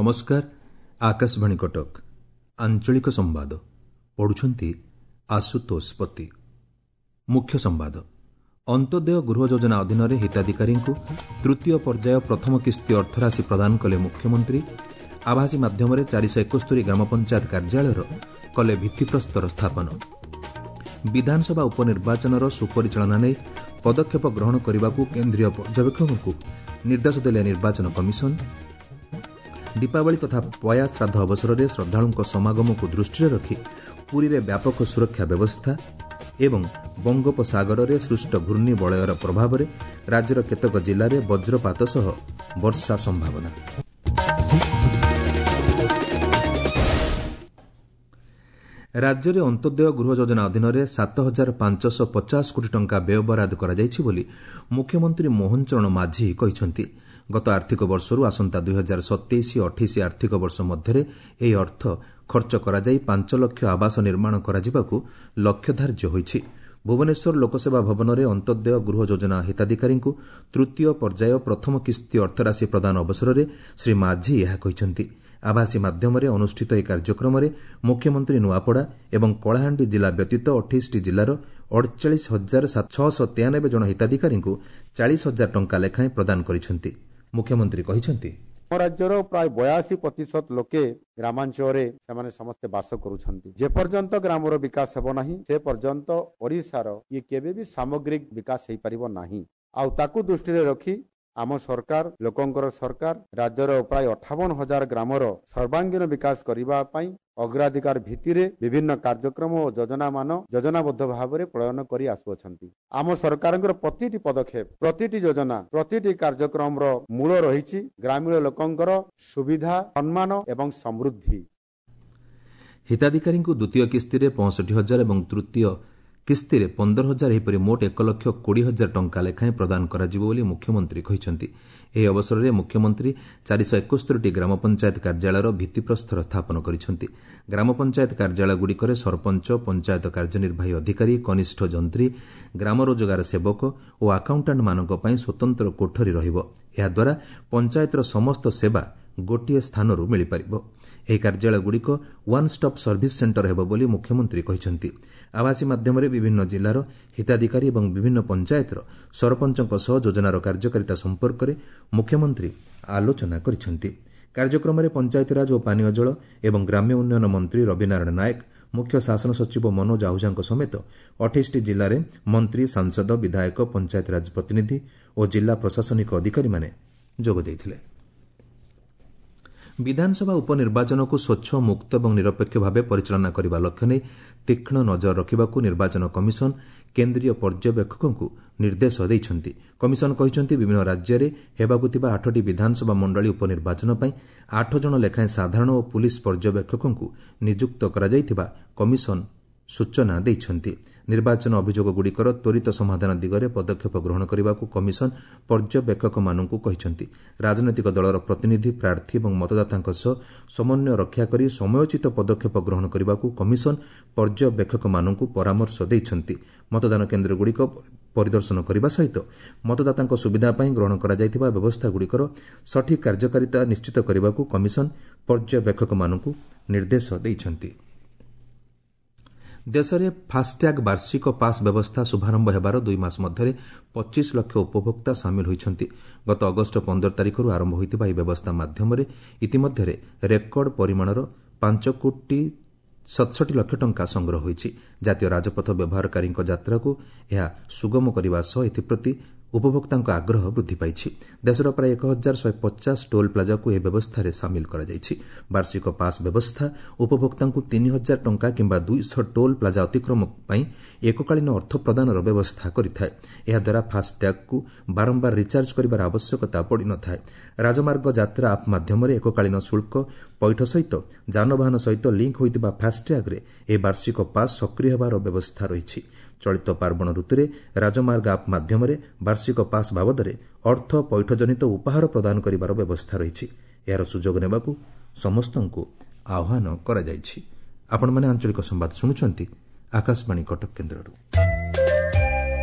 ନମସ୍କାର, ଆକାଶବାଣୀ କଟକ। ଆଞ୍ଚଳିକ ସମ୍ବାଦ ପଢୁଛନ୍ତି ଆଶୁତୋଷ ପତି। ମୁଖ୍ୟ ସମ୍ବାଦ। ଅନ୍ତ୍ୟୋଦୟ ଗୃହ ଯୋଜନା ଅଧୀନରେ ହିତାଧିକାରୀଙ୍କୁ ତୃତୀୟ ପର୍ଯ୍ୟାୟ ପ୍ରଥମ କିସ୍ତି ଅର୍ଥରାଶି ପ୍ରଦାନ କଲେ ମୁଖ୍ୟମନ୍ତ୍ରୀ। ଆଭାସୀ ମାଧ୍ୟମରେ 471 ଗ୍ରାମପଞ୍ଚାୟତ କାର୍ଯ୍ୟାଳୟର କଲେ ଭିତ୍ତିପ୍ରସ୍ତର ସ୍ଥାପନ। ବିଧାନସଭା ଉପନିର୍ବାଚନର ସୁପରିଚାଳନା ନେଇ ପଦକ୍ଷେପ ଗ୍ରହଣ କରିବାକୁ କେନ୍ଦ୍ରୀୟ ପର୍ଯ୍ୟବେକ୍ଷକଙ୍କୁ ନିର୍ଦ୍ଦେଶ ଦେଲେ ନିର୍ବାଚନ କମିଶନ। ଦୀପାବଳି ତଥା ପୟା ଶ୍ରାଦ୍ଧ ଅବସରରେ ଶ୍ରଦ୍ଧାଳୁଙ୍କ ସମାଗମକୁ ଦୃଷ୍ଟିରେ ରଖି ପୁରୀରେ ବ୍ୟାପକ ସୁରକ୍ଷା ବ୍ୟବସ୍ଥା ଏବଂ ବଙ୍ଗୋପସାଗରରେ ସୃଷ୍ଟ ଘୂର୍ଣ୍ଣିବଳୟର ପ୍ରଭାବରେ ରାଜ୍ୟର କେତେକ ଜିଲ୍ଲାରେ ବଜ୍ରପାତ ସହ ବର୍ଷା ସମ୍ଭାବନା। ରାଜ୍ୟରେ ଅନ୍ତ୍ୟୋଦୟ ଗୃହ ଯୋଜନା ଅଧୀନରେ 7550 କୋଟି ଟଙ୍କା ବ୍ୟୟବରାଦ କରାଯାଇଛି ବୋଲି ମୁଖ୍ୟମନ୍ତ୍ରୀ ମୋହନ ଚରଣ ମାଝୀ କହିଛନ୍ତି। ଗତ ଆର୍ଥିକ ବର୍ଷରୁ ଆସନ୍ତା 2027-28 ଆର୍ଥିକ ବର୍ଷ ମଧ୍ୟରେ ଏହି ଅର୍ଥ ଖର୍ଚ୍ଚ କରାଯାଇ 5 ଲକ୍ଷ ଆବାସ ନିର୍ମାଣ କରାଯିବାକୁ ଲକ୍ଷ୍ୟ ଧାର୍ଯ୍ୟ ହୋଇଛି। ଭୁବନେଶ୍ୱର ଲୋକସେବା ଭବନରେ ଅନ୍ତ୍ୟୋଦୟ ଗୃହ ଯୋଜନା ହିତାଧିକାରୀଙ୍କୁ ତୃତୀୟ ପର୍ଯ୍ୟାୟ ପ୍ରଥମ କିସ୍ତି ଅର୍ଥରାଶି ପ୍ରଦାନ ଅବସରରେ ଶ୍ରୀ ମାଝୀ ଏହା କହିଛନ୍ତି। ଆଭାସୀ ମାଧ୍ୟମରେ ଅନୁଷ୍ଠିତ ଏହି କାର୍ଯ୍ୟକ୍ରମରେ ମୁଖ୍ୟମନ୍ତ୍ରୀ ନୂଆପଡ଼ା ଏବଂ କଳାହାଣ୍ଡି ଜିଲ୍ଲା ବ୍ୟତୀତ 28ଟି ଜିଲ୍ଲାର 48,693 ଜଣ ହିତାଧିକାରୀଙ୍କୁ 40 ହଜାର ଟଙ୍କା ଲେଖାଏଁ ପ୍ରଦାନ କରିଛନ୍ତି। ମୁଖ୍ୟମନ୍ତ୍ରୀ କହିଛନ୍ତି, ଆମ ରାଜ୍ୟର ପ୍ରାୟ 82% ଲୋକେ ଗ୍ରାମାଞ୍ଚଳରେ ସେମାନେ ସମସ୍ତେ ବାସ କରୁଛନ୍ତି। ଯେପର୍ଯ୍ୟନ୍ତ ଗ୍ରାମର ବିକାଶ ହେବ ନାହିଁ, ସେ ପର୍ଯ୍ୟନ୍ତ ଓଡ଼ିଶାର ଇଏ କେବେ ବି ସାମଗ୍ରିକ ବିକାଶ ହେଇପାରିବ ନାହିଁ। ଆଉ ତାକୁ ଦୃଷ୍ଟିରେ ରଖି ଆମ ସରକାର, ଲୋକଙ୍କର ସରକାର, ରାଜ୍ୟର ପ୍ରାୟ 58,000 ଗ୍ରାମର ସର୍ବାଙ୍ଗୀନ ବିକାଶ କରିବା ପାଇଁ ଅଗ୍ରାଧିକାର ଭିତ୍ତିରେ ବିଭିନ୍ନ କାର୍ଯ୍ୟକ୍ରମ ଓ ଯୋଜନାମାନ ଯୋଜନାବଦ୍ଧ ଭାବରେ ପ୍ରଣୟନ କରି ଆସୁଅଛନ୍ତି। ଆମ ସରକାରଙ୍କର ପ୍ରତିଟି ପଦକ୍ଷେପ, ପ୍ରତିଟି ଯୋଜନା, ପ୍ରତିଟି କାର୍ଯ୍ୟକ୍ରମର ମୂଳ ରହିଛି ଗ୍ରାମୀଣ ଲୋକଙ୍କର ସୁବିଧା, ସମ୍ମାନ ଏବଂ ସମୃଦ୍ଧି। ହିତାଧିକାରୀଙ୍କୁ ଦ୍ୱିତୀୟ କିସ୍ତିରେ 65 ହଜାର ଏବଂ ତୃତୀୟ କିସ୍ତିରେ 15 ହଜାର, ଏହିପରି ମୋଟ 1,20,000 ଟଙ୍କା ଲେଖାଏଁ ପ୍ରଦାନ କରାଯିବ ବୋଲି ମୁଖ୍ୟମନ୍ତ୍ରୀ କହିଛନ୍ତି। ଏହି ଅବସରରେ ମୁଖ୍ୟମନ୍ତ୍ରୀ 471ଟି ଗ୍ରାମପଞ୍ଚାୟତ କାର୍ଯ୍ୟାଳୟର ଭିତ୍ତିପ୍ରସ୍ତର ସ୍ଥାପନ କରିଛନ୍ତି। ଗ୍ରାମପଞ୍ଚାୟତ କାର୍ଯ୍ୟାଳୟଗୁଡ଼ିକରେ ସରପଞ୍ଚ, ପଞ୍ଚାୟତ କାର୍ଯ୍ୟନିର୍ବାହୀ ଅଧିକାରୀ, କନିଷ୍ଠ ଯନ୍ତ୍ରୀ, ଗ୍ରାମ ରୋଜଗାର ସେବକ ଓ ଆକାଉଣ୍ଟାଣ୍ଟମାନଙ୍କ ପାଇଁ ସ୍ୱତନ୍ତ୍ର କୋଠରୀ ରହିବ। ଏହାଦ୍ୱାରା ପଞ୍ଚାୟତର ସମସ୍ତ ସେବା ଗୋଟିଏ ସ୍ଥାନରୁ ମିଳିପାରିବ। ଏହି କାର୍ଯ୍ୟାଳୟଗୁଡ଼ିକ ୱାନ୍ ଷ୍ଟପ୍ ସର୍ଭିସ୍ ସେଣ୍ଟର ହେବ ବୋଲି ମୁଖ୍ୟମନ୍ତ୍ରୀ କହିଛନ୍ତି। ଆଭାସୀ ମାଧ୍ୟମରେ ବିଭିନ୍ନ ଜିଲ୍ଲାର ହିତାଧିକାରୀ ଏବଂ ବିଭିନ୍ନ ପଞ୍ଚାୟତର ସରପଞ୍ଚଙ୍କ ସହ ଯୋଜନାର କାର୍ଯ୍ୟକାରିତା ସମ୍ପର୍କରେ ମୁଖ୍ୟମନ୍ତ୍ରୀ ଆଲୋଚନା କରିଛନ୍ତି। କାର୍ଯ୍ୟକ୍ରମରେ ପଞ୍ଚାୟତିରାଜ ଓ ପାନୀୟ ଜଳ ଏବଂ ଗ୍ରାମ୍ୟ ଉନ୍ନୟନ ମନ୍ତ୍ରୀ ରବିନାରାୟଣ ନାୟକ, ମୁଖ୍ୟ ଶାସନ ସଚିବ ମନୋଜ ଆହୁଜାଙ୍କ ସମେତ 28ଟି ଜିଲ୍ଲାରେ ମନ୍ତ୍ରୀ, ସାଂସଦ, ବିଧାୟକ, ପଞ୍ଚାୟତିରାଜ ପ୍ରତିନିଧି ଓ ଜିଲ୍ଲା ପ୍ରଶାସନିକ ଅଧିକାରୀମାନେ ଯୋଗ ଦେଇଥିଲେ। ବିଧାନସଭା ଉପନିର୍ବାଚନକୁ ସ୍ୱଚ୍ଛ, ମୁକ୍ତ ଏବଂ ନିରପେକ୍ଷ ଭାବେ ପରିଚାଳନା କରିବା ଲକ୍ଷ୍ୟ ନେଇ ତୀକ୍ଷ୍ଣ ନଜର ରଖିବାକୁ ନିର୍ବାଚନ କମିଶନ କେନ୍ଦ୍ରୀୟ ପର୍ଯ୍ୟବେକ୍ଷକଙ୍କୁ ନିର୍ଦ୍ଦେଶ ଦେଇଛନ୍ତି। କମିଶନ କହିଛନ୍ତି, ବିଭିନ୍ନ ରାଜ୍ୟରେ ହେବାକୁ ଥିବା 8ଟି ବିଧାନସଭା ମଣ୍ଡଳୀ ଉପନିର୍ବାଚନ ପାଇଁ 8 ଜଣ ଲେଖାଏଁ ସାଧାରଣ ଓ ପୁଲିସ୍ ପର୍ଯ୍ୟବେକ୍ଷକଙ୍କୁ ନିଯୁକ୍ତ କରାଯାଇଥିବା କମିଶନ ସୂଚନା ଦେଇଛନ୍ତି। ନିର୍ବାଚନ ଅଭିଯୋଗଗୁଡ଼ିକର ତ୍ୱରିତ ସମାଧାନ ଦିଗରେ ପଦକ୍ଷେପ ଗ୍ରହଣ କରିବାକୁ କମିଶନ ପର୍ଯ୍ୟବେକ୍ଷକମାନଙ୍କୁ କହିଛନ୍ତି। ରାଜନୈତିକ ଦଳର ପ୍ରତିନିଧି, ପ୍ରାର୍ଥୀ ଏବଂ ମତଦାତାଙ୍କ ସହ ସମନ୍ୱୟ ରକ୍ଷା କରି ସମୟୋଚିତ ପଦକ୍ଷେପ ଗ୍ରହଣ କରିବାକୁ କମିଶନ ପର୍ଯ୍ୟବେକ୍ଷକମାନଙ୍କୁ ପରାମର୍ଶ ଦେଇଛନ୍ତି। ମତଦାନ କେନ୍ଦ୍ରଗୁଡ଼ିକ ପରିଦର୍ଶନ କରିବା ସହିତ ମତଦାତାଙ୍କ ସୁବିଧା ପାଇଁ ଗ୍ରହଣ କରାଯାଇଥିବା ବ୍ୟବସ୍ଥାଗୁଡ଼ିକର ସଠିକ୍ କାର୍ଯ୍ୟକାରିତା ନିଶ୍ଚିତ କରିବାକୁ କମିଶନ ପର୍ଯ୍ୟବେକ୍ଷକମାନଙ୍କୁ ନିର୍ଦ୍ଦେଶ ଦେଇଛନ୍ତି। ଦେଶରେ ଫାସ୍ଟ୍ୟାଗ୍ ବାର୍ଷିକ ପାସ୍ ବ୍ୟବସ୍ଥା ଶୁଭାରମ୍ଭ ହେବାର 2 ମାସ ମଧ୍ୟରେ 25 ଲକ୍ଷ ଉପଭୋକ୍ତା ସାମିଲ ହୋଇଛନ୍ତି। ଗତ ଅଗଷ୍ଟ 15 ତାରିଖରୁ ଆରମ୍ଭ ହୋଇଥିବା ଏହି ବ୍ୟବସ୍ଥା ମାଧ୍ୟମରେ ଇତିମଧ୍ୟରେ ରେକର୍ଡ ପରିମାଣର 5 କୋଟି 67 ଲକ୍ଷ ଟଙ୍କା ସଂଗ୍ରହ ହୋଇଛି। ଜାତୀୟ ରାଜପଥ ବ୍ୟବହାରକାରୀଙ୍କ ଯାତ୍ରାକୁ ଏହା ସୁଗମ କରିବା ସହ ଏଥିପ୍ରତି ଉପଭୋକ୍ତାଙ୍କ ଆଗ୍ରହ ବୃଦ୍ଧି ପାଇଛି। ଦେଶର ପ୍ରାୟ 1150 ଟୋଲ୍ ପ୍ଲାଜାକୁ ଏହି ବ୍ୟବସ୍ଥାରେ ସାମିଲ କରାଯାଇଛି। ବାର୍ଷିକ ପାସ୍ ବ୍ୟବସ୍ଥା ଉପଭୋକ୍ତାଙ୍କୁ 3000 ଟଙ୍କା କିମ୍ବା 200 ଟୋଲ୍ ପ୍ଲାଜା ଅତିକ୍ରମ ପାଇଁ ଏକକାଳୀନ ଅର୍ଥ ପ୍ରଦାନର ବ୍ୟବସ୍ଥା କରିଥାଏ। ଏହାଦ୍ୱାରା ଫାସ୍ଟ୍ୟାଗ୍କୁ ବାରମ୍ବାର ରିଚାର୍ଜ କରିବାର ଆବଶ୍ୟକତା ପଡ଼ିନଥାଏ। ରାଜମାର୍ଗ ଯାତ୍ରା ଆପ୍ ମାଧ୍ୟମରେ ଏକକାଳୀନ ଶୁଳ୍କ ପଇଠ ସହିତ ଯାନବାହନ ସହିତ ଲିଙ୍କ୍ ହୋଇଥିବା ଫାସ୍ଟ୍ୟାଗ୍ରେ ଏହି ବାର୍ଷିକ ପାସ୍ ସକ୍ରିୟ ହେବାର ବ୍ୟବସ୍ଥା ରହିଛି। ଚଳିତ ପାର୍ବଣ ଋତୁରେ ରାଜମାର୍ଗ ଆପ୍ ମାଧ୍ୟମରେ ବାର୍ଷିକ ପାସ୍ ବାବଦରେ ଅର୍ଥ ପଇଠଜନିତ ଉପହାର ପ୍ରଦାନ କରିବାର ବ୍ୟବସ୍ଥା ରହିଛି। ଏହାର ସୁଯୋଗ ନେବାକୁ ସମସ୍ତଙ୍କୁ ଆହ୍ୱାନ କରାଯାଇଛି। ଆପଣମାନେ ଆଞ୍ଚଳିକ ସମ୍ବାଦ ଶୁଣୁଛନ୍ତି ଆକାଶବାଣୀ କଟକ କେନ୍ଦ୍ରରୁ।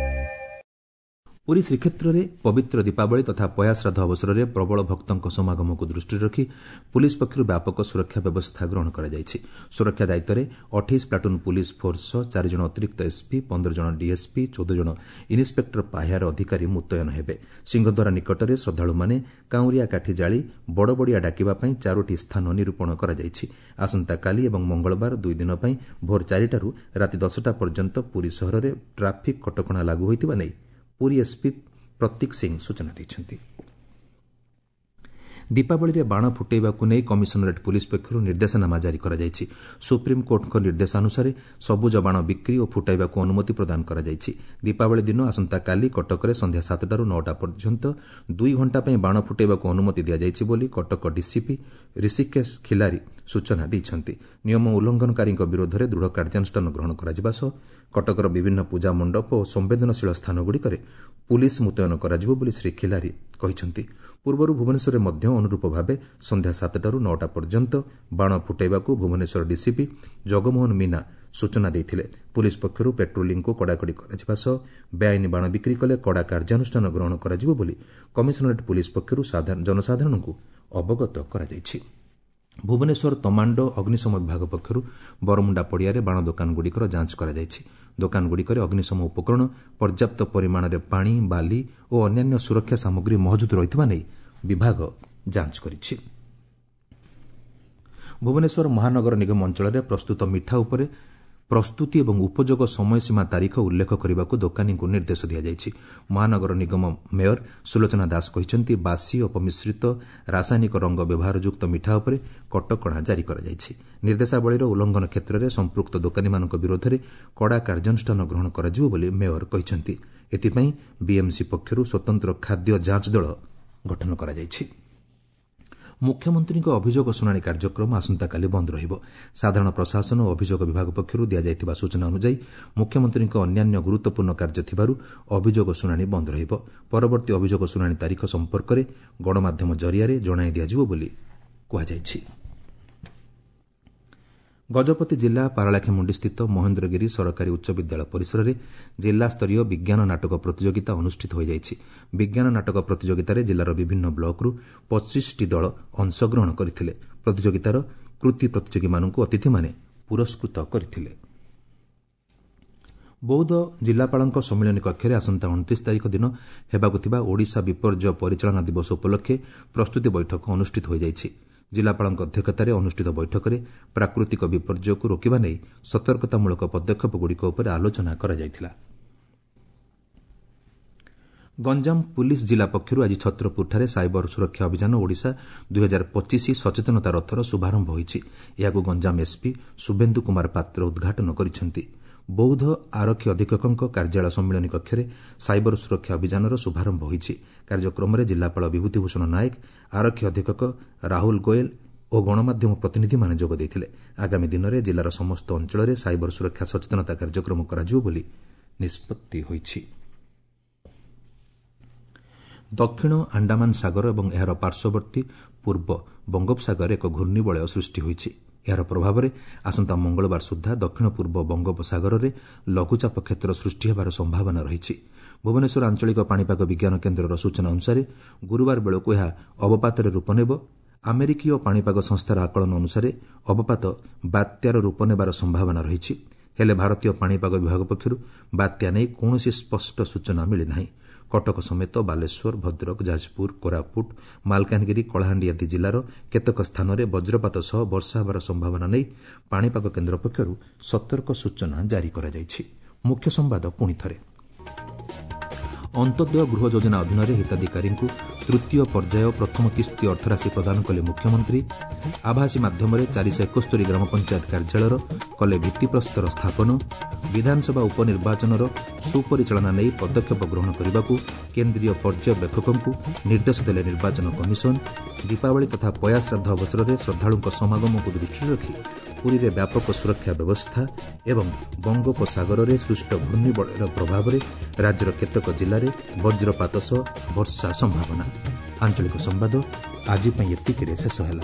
ପୁରୀ ଶ୍ରୀକ୍ଷେତ୍ରରେ ପବିତ୍ର ଦୀପାବଳି ତଥା ପୟାଶ୍ରାଦ୍ଧ ଅବସରରେ ପ୍ରବଳ ଭକ୍ତଙ୍କ ସମାଗମକୁ ଦୃଷ୍ଟିରେ ରଖି ପୁଲିସ୍ ପକ୍ଷରୁ ବ୍ୟାପକ ସୁରକ୍ଷା ବ୍ୟବସ୍ଥା ଗ୍ରହଣ କରାଯାଇଛି। ସୁରକ୍ଷା ଦାୟିତ୍ୱରେ 28 ପ୍ଲାଟୁନ୍ ପୁଲିସ୍ ଫୋର୍ସ ସହ 4 ଜଣ ଅତିରିକ୍ତ ଏସ୍ପି, 15 ଜଣ ଡିଏସ୍ପି, 14 ଜଣ ଇନ୍ସପେକ୍ଟର ପାହ୍ୟାର ଅଧିକାରୀ ମୁତୟନ ହେବେ। ସିଂହଦ୍ୱାର ନିକଟରେ ଶ୍ରଦ୍ଧାଳୁମାନେ କାଉଁରିଆ କାଠି ଜାଳି ବଡ଼ବଡ଼ିଆ ଡାକିବା ପାଇଁ 4ଟି ସ୍ଥାନ ନିରୂପଣ କରାଯାଇଛି। ଆସନ୍ତାକାଲି ଏବଂ ମଙ୍ଗଳବାର 2 ଦିନ ପାଇଁ ଭୋର 4ଟାରୁ ରାତି 10ଟା ପର୍ଯ୍ୟନ୍ତ ପୁରୀ ସହରରେ ଟ୍ରାଫିକ୍ କଟକଣା ଲାଗୁ ହୋଇଥିବା ନେଇ ପୁରୀ ଏସ୍ପି ପ୍ରତୀକ ସିଂ ସୂଚନା ଦେଇଛନ୍ତି। ଦୀପାବଳିରେ ବାଣ ଫୁଟାଇବାକୁ ନେଇ କମିଶନରେଟ୍ ପୁଲିସ୍ ପକ୍ଷରୁ ନିର୍ଦ୍ଦେଶନାମା ଜାରି କରାଯାଇଛି। ସୁପ୍ରିମକୋର୍ଟଙ୍କ ନିର୍ଦ୍ଦେଶାନୁସାରେ ସବୁଜ ବାଣ ବିକ୍ରି ଓ ଫୁଟାଇବାକୁ ଅନୁମତି ପ୍ରଦାନ କରାଯାଇଛି। ଦୀପାବଳି ଦିନ ଆସନ୍ତାକାଲି କଟକରେ ସନ୍ଧ୍ୟା 7ଟାରୁ 9ଟା ପର୍ଯ୍ୟନ୍ତ 2 ଘଣ୍ଟା ପାଇଁ ବାଣ ଫୁଟାଇବାକୁ ଅନୁମତି ଦିଆଯାଇଛି ବୋଲି କଟକ ଡିସିପି ଋଷିକେଶ ଖିଲାରୀ ସୂଚନା ଦେଇଛନ୍ତି। ନିୟମ ଉଲ୍ଲଂଘନକାରୀଙ୍କ ବିରୋଧରେ ଦୃଢ଼ କାର୍ଯ୍ୟାନୁଷ୍ଠାନ ଗ୍ରହଣ କରାଯିବା ସହ କଟକର ବିଭିନ୍ନ ପୂଜା ମଣ୍ଡପ ଓ ସମ୍ବେଦନଶୀଳ ସ୍ଥାନଗୁଡ଼ିକରେ ପୁଲିସ୍ ମୁତୟନ କରାଯିବ ବୋଲି ଶ୍ରୀ ଖିଲାରୀ କହିଛନ୍ତି। ପୂର୍ବରୁ ଭୁବନେଶ୍ୱରରେ ମଧ୍ୟ ଅନୁରୂପ ଭାବେ ସନ୍ଧ୍ୟା 7ଟାରୁ 9ଟା ପର୍ଯ୍ୟନ୍ତ ବାଣ ଫୁଟାଇବାକୁ ଭୁବନେଶ୍ୱର ଡିସିପି ଜଗମୋହନ ମୀନା ସୂଚନା ଦେଇଥିଲେ। ପୁଲିସ୍ ପକ୍ଷରୁ ପେଟ୍ରୋଲିଂକୁ କଡ଼ାକଡ଼ି କରାଯିବା ସହ ବେଆଇନ ବାଣ ବିକ୍ରି କଲେ କଡ଼ା କାର୍ଯ୍ୟାନୁଷ୍ଠାନ ଗ୍ରହଣ କରାଯିବ ବୋଲି କମିଶନରେଟ୍ ପୁଲିସ୍ ପକ୍ଷରୁ ଜନସାଧାରଣଙ୍କୁ ଅବଗତ କରାଯାଇଛି। ଭୁବନେଶ୍ୱର ତମାଣ୍ଡୋ ଅଗ୍ନିଶମ ବିଭାଗ ପକ୍ଷରୁ ବରମୁଣ୍ଡା ପଡ଼ିଆରେ ବାଣ ଦୋକାନଗୁଡ଼ିକର ଯାଞ୍ଚ କରାଯାଇଛି। ଦୋକାନଗୁଡ଼ିକରେ ଅଗ୍ନିଶମ ଉପକରଣ, ପର୍ଯ୍ୟାପ୍ତ ପରିମାଣରେ ପାଣି, ବାଲି ଓ ଅନ୍ୟାନ୍ୟ ସୁରକ୍ଷା ସାମଗ୍ରୀ ମହଜୁଦ ରହିଥିବା ନେଇ ବିଭାଗ ଯାଞ୍ଚ କରିଛି। ଭୁବନେଶ୍ୱର ମହାନଗର ନିଗମ ଅଞ୍ଚଳରେ ପ୍ରସ୍ତୁତ ମିଠା ଉପରେ ପ୍ରସ୍ତୁତି ଏବଂ ଉପଯୋଗ ସମୟସୀମା ତାରିଖ ଉଲ୍ଲେଖ କରିବାକୁ ଦୋକାନୀଙ୍କୁ ନିର୍ଦ୍ଦେଶ ଦିଆଯାଇଛି। ମହାନଗର ନିଗମ ମେୟର ସୁଲୋଚନା ଦାସ କହିଛନ୍ତି, ବାସି, ଅପମିଶ୍ରିତ, ରାସାୟନିକ ରଙ୍ଗ ବ୍ୟବହାରଯୁକ୍ତ ମିଠା ଉପରେ କଟକଣା ଜାରି କରାଯାଇଛି। ନିର୍ଦ୍ଦେଶାବଳୀର ଉଲ୍ଲଂଘନ କ୍ଷେତ୍ରରେ ସମ୍ପୃକ୍ତ ଦୋକାନୀମାନଙ୍କ ବିରୋଧରେ କଡ଼ା କାର୍ଯ୍ୟାନୁଷ୍ଠାନ ଗ୍ରହଣ କରାଯିବ ବୋଲି ମେୟର କହିଛନ୍ତି। ଏଥିପାଇଁ ବିଏମ୍ସି ପକ୍ଷରୁ ସ୍ୱତନ୍ତ୍ର ଖାଦ୍ୟ ଯାଞ୍ଚ ଦଳ ଗଠନ କରାଯାଇଛି। ମୁଖ୍ୟମନ୍ତ୍ରୀଙ୍କ ଅଭିଯୋଗ ଶୁଣାଣି କାର୍ଯ୍ୟକ୍ରମ ଆସନ୍ତାକାଲି ବନ୍ଦ ରହିବ। ସାଧାରଣ ପ୍ରଶାସନ ଓ ଅଭିଯୋଗ ବିଭାଗ ପକ୍ଷରୁ ଦିଆଯାଇଥିବା ସୂଚନା ଅନୁଯାୟୀ ମୁଖ୍ୟମନ୍ତ୍ରୀଙ୍କ ଅନ୍ୟାନ୍ୟ ଗୁରୁତ୍ୱପୂର୍ଣ୍ଣ କାର୍ଯ୍ୟ ଥିବାରୁ ଅଭିଯୋଗ ଶୁଣାଣି ବନ୍ଦ ରହିବ। ପରବର୍ତ୍ତୀ ଅଭିଯୋଗ ଶୁଣାଣି ତାରିଖ ସମ୍ପର୍କରେ ଗଣମାଧ୍ୟମ ଜରିଆରେ ଜଣାଇ ଦିଆଯିବ ବୋଲି କୁହାଯାଇଛି। ଗଜପତି ଜିଲ୍ଲା ପାରଳାଖେମୁଣ୍ଡିସ୍ଥିତ ମହେନ୍ଦ୍ରଗିରି ସରକାରୀ ଉଚ୍ଚ ବିଦ୍ୟାଳୟ ପରିସରରେ ଜିଲ୍ଲାସ୍ତରୀୟ ବିଜ୍ଞାନ ନାଟକ ପ୍ରତିଯୋଗିତା ଅନୁଷ୍ଠିତ ହୋଇଯାଇଛି। ବିଜ୍ଞାନ ନାଟକ ପ୍ରତିଯୋଗିତାରେ ଜିଲ୍ଲାର ବିଭିନ୍ନ ବ୍ଲକରୁ 25ଟି ଦଳ ଅଂଶଗ୍ରହଣ କରିଥିଲେ। ପ୍ରତିଯୋଗିତାର କୃତି ପ୍ରତିଯୋଗୀମାନଙ୍କୁ ଅତିଥିମାନେ ପୁରସ୍କୃତ କରିଥିଲେ। ବୌଦ୍ଧ ଜିଲ୍ଲାପାଳଙ୍କ ସମ୍ମିଳନୀ କକ୍ଷରେ ଆସନ୍ତା 29 ତାରିଖ ଦିନ ହେବାକୁ ଥିବା ଓଡ଼ିଶା ବିପର୍ଯ୍ୟୟ ପରିଚାଳନା ଦିବସ ଉପଲକ୍ଷେ ପ୍ରସ୍ତୁତି ବୈଠକ ଅନୁଷ୍ଠିତ ହୋଇଯାଇଛି। ଜିଲ୍ଲାପାଳଙ୍କ ଅଧ୍ୟକ୍ଷତାରେ ଅନୁଷ୍ଠିତ ବୈଠକରେ ପ୍ରାକୃତିକ ବିପର୍ଯ୍ୟୟକୁ ରୋକିବା ନେଇ ସତର୍କତାମୂଳକ ପଦକ୍ଷେପଗୁଡ଼ିକ ଉପରେ ଆଲୋଚନା କରାଯାଇଥିଲା। ଗଞ୍ଜାମ ପୁଲିସ୍ ଜିଲ୍ଲା ପକ୍ଷରୁ ଆଜି ଛତ୍ରପୁରଠାରେ ସାଇବର ସୁରକ୍ଷା ଅଭିଯାନ ଓଡ଼ିଶା 2025 ସଚେତନତା ରଥର ଶୁଭାରମ୍ଭ ହୋଇଛି। ଏହାକୁ ଗଞ୍ଜାମ ଏସ୍ପି ଶୁଭେନ୍ଦୁ କୁମାର ପାତ୍ର ଉଦ୍ଘାଟନ କରିଛନ୍ତି। ବୌଦ୍ଧ ଆରକ୍ଷୀ ଅଧୀକ୍ଷକଙ୍କ କାର୍ଯ୍ୟାଳୟ ସମ୍ମିଳନୀ କକ୍ଷରେ ସାଇବର ସୁରକ୍ଷା ଅଭିଯାନର ଶୁଭାରମ୍ଭ ହୋଇଛି। କାର୍ଯ୍ୟକ୍ରମରେ ଜିଲ୍ଲାପାଳ ବିଭୂତିଭୂଷଣ ନାୟକ, ଆରକ୍ଷୀ ଅଧୀକ୍ଷକ ରାହୁଲ ଗୋଏଲ ଓ ଗଣମାଧ୍ୟମ ପ୍ରତିନିଧିମାନେ ଯୋଗ ଦେଇଥିଲେ। ଆଗାମୀ ଦିନରେ ଜିଲ୍ଲାର ସମସ୍ତ ଅଞ୍ଚଳରେ ସାଇବର ସୁରକ୍ଷା ସଚେତନତା କାର୍ଯ୍ୟକ୍ରମ କରାଯିବ ବୋଲି ନିଷ୍ପତ୍ତି ହୋଇଛି। ଦକ୍ଷିଣ ଆଣ୍ଡାମାନ ସାଗର ଏବଂ ଏହାର ପାର୍ଶ୍ୱବର୍ତ୍ତୀ ପୂର୍ବ ବଙ୍ଗୋପସାଗରରେ ଏକ ଘୂର୍ଣ୍ଣିବଳୟ ସୃଷ୍ଟି ହୋଇଛି। ଏହାର ପ୍ରଭାବରେ ଆସନ୍ତା ମଙ୍ଗଳବାର ସୁଦ୍ଧା ଦକ୍ଷିଣ ପୂର୍ବ ବଙ୍ଗୋପସାଗରରେ ଲଘୁଚାପ କ୍ଷେତ୍ର ସୃଷ୍ଟି ହେବାର ସମ୍ଭାବନା ରହିଛି। ଭୁବନେଶ୍ୱର ଆଞ୍ଚଳିକ ପାଣିପାଗ ବିଜ୍ଞାନ କେନ୍ଦ୍ରର ସୂଚନା ଅନୁସାରେ ଗୁରୁବାର ବେଳକୁ ଏହା ଅବପାତରେ ରୂପ ନେବ। ଆମେରିକୀୟ ପାଣିପାଗ ସଂସ୍ଥାର ଆକଳନ ଅନୁସାରେ ଅବପାତ ବାତ୍ୟାର ରୂପ ନେବାର ସମ୍ଭାବନା ରହିଛି। ହେଲେ ଭାରତୀୟ ପାଣିପାଗ ବିଭାଗ ପକ୍ଷରୁ ବାତ୍ୟା ନେଇ କୌଣସି ସ୍ପଷ୍ଟ ସୂଚନା ମିଳିନାହିଁ। କଟକ ସମେତ ବାଲେଶ୍ୱର, ଭଦ୍ରକ, ଯାଜପୁର, କୋରାପୁଟ, ମାଲକାନଗିରି, କଳାହାଣ୍ଡି ଆଦି ଜିଲ୍ଲାର କେତେକ ସ୍ଥାନରେ ବଜ୍ରପାତ ସହ ବର୍ଷା ହେବାର ସମ୍ଭାବନା ନେଇ ପାଣିପାଗ କେନ୍ଦ୍ର ପକ୍ଷରୁ ସତର୍କ ସୂଚନା ଜାରି କରାଯାଇଛି। ମୁଖ୍ୟ ସମ୍ବାଦ ପୁଣିଥରେ। ଅନ୍ତୋଦୟ ଗୃହ ଯୋଜନା ଅଧୀନରେ ହିତାଧିକାରୀଙ୍କୁ ତୃତୀୟ ପର୍ଯ୍ୟାୟ ପ୍ରଥମ କିସ୍ତି ଅର୍ଥରାଶି ପ୍ରଦାନ କଲେ ମୁଖ୍ୟମନ୍ତ୍ରୀ। ଆଭାସୀ ମାଧ୍ୟମରେ 471 ଗ୍ରାମ ପଞ୍ଚାୟତ କାର୍ଯ୍ୟାଳୟର କଲେ ଭିତ୍ତିପ୍ରସ୍ତର ସ୍ଥାପନ। ବିଧାନସଭା ଉପନିର୍ବାଚନର ସୁପରିଚାଳନା ନେଇ ପଦକ୍ଷେପ ଗ୍ରହଣ କରିବାକୁ କେନ୍ଦ୍ରୀୟ ପର୍ଯ୍ୟବେକ୍ଷକଙ୍କୁ ନିର୍ଦ୍ଦେଶ ଦେଲେ ନିର୍ବାଚନ କମିଶନ। ଦୀପାବଳି ତଥା ପୟାଶ୍ରାଦ୍ଧ ଅବସରରେ ଶ୍ରଦ୍ଧାଳୁଙ୍କ ସମାଗମକୁ ଦୃଷ୍ଟିରେ ରଖି ପୁରୀରେ ବ୍ୟାପକ ସୁରକ୍ଷା ବ୍ୟବସ୍ଥା ଏବଂ ବଙ୍ଗୋପସାଗରରେ ସୃଷ୍ଟ ଘୂର୍ଣ୍ଣିବଳୟର ପ୍ରଭାବରେ ରାଜ୍ୟର କେତେକ ଜିଲ୍ଲାରେ ବଜ୍ରପାତ ସହ ବର୍ଷା ସମ୍ଭାବନା। ଆଞ୍ଚଳିକ ସମ୍ବାଦ ଆଜି ପାଇଁ ଏତିକିରେ ଶେଷ ହେଲା।